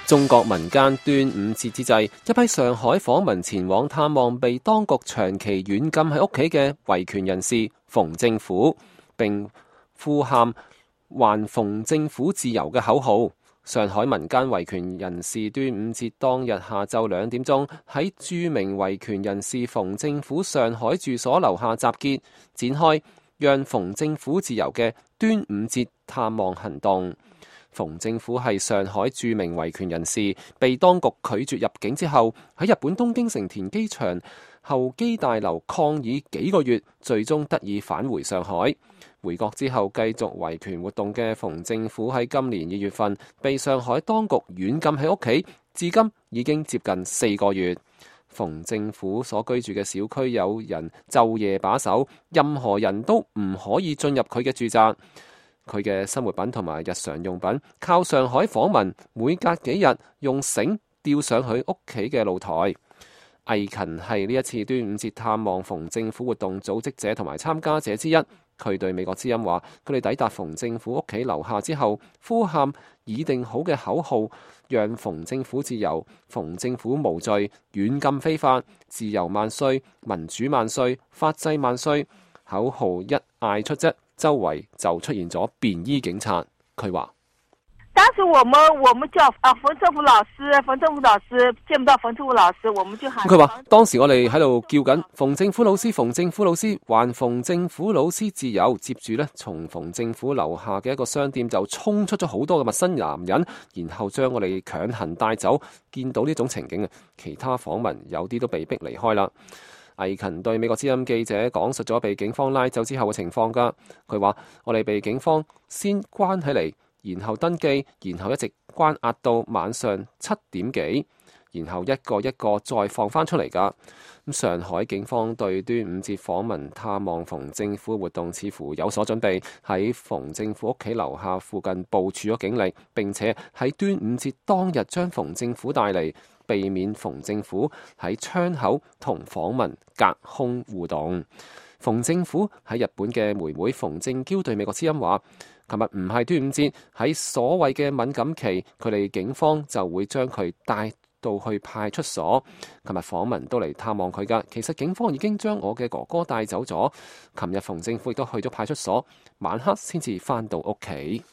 中國民間端午節之際，一批上海訪民前往探望被當局長期軟禁喺屋企嘅維權人士馮政府，並呼喊還馮政府自由嘅口號。上海民間維權人士端午節當日下晝2點鐘喺著名維權人士馮政府上海住所樓下集結，展開讓馮政府自由嘅端午節探望行動。馮政府係上海著名維權人士，被當局拒絕入境之後，喺日本東京成田機場候機大樓抗議幾個月，最終得以返回上海。回國之後繼續維權活動嘅馮政府喺今年2月份被上海當局軟禁喺屋企，至今已經接近4個月。馮政府所居住嘅小區有人晝夜把守，任何人都唔可以進入佢嘅住宅。佢嘅生活品同埋日常用品靠上海訪民每隔幾日用繩吊上去屋企嘅露台。魏勤係呢一次端午節探望馮政府活動組織者同埋參加者之一。佢對美國之音話：佢哋抵達馮政府屋企樓下之後，呼喊已定好嘅口號，讓馮政府自由，馮政府無罪，軟禁非法，自由萬歲，民主萬歲，法制萬歲。口號一嗌出啫，周圍就出現咗便衣警察。佢話：當時我們叫馮政府老師見不到馮政府老師，我們就喊。佢話當時我哋喺度叫緊馮政府老師，馮政府老師，還馮政府老師自由。接住呢，從馮政府樓下嘅一個商店就衝出咗好多嘅陌生男人，然後將我哋強行帶走。見到呢種情景，其他訪民有啲都被逼離開啦。魏勤對美國之音記者講述咗被警方拉走之後嘅情況㗎。佢話：我哋被警方先關起嚟，然後登記，然後一直關押到晚上7點幾，然後一個一個再放翻出嚟㗎。咁上海警方對端午節訪民探望馮政府活動似乎有所準備，喺馮政府屋企樓下附近部署咗警力，並且喺端午節當日將馮政府帶嚟，避免馮政府喺窗口同訪民隔空互動。馮政府喺日本嘅妹妹馮政嬌對美國之音話：琴日唔係端午節，喺所謂嘅敏感期，佢哋警方就會將佢帶到去派出所。琴日訪民都嚟探望佢㗎，其實警方已經將我嘅哥哥帶走咗。琴日馮政府亦都去咗派出所，晚黑先至返到屋企。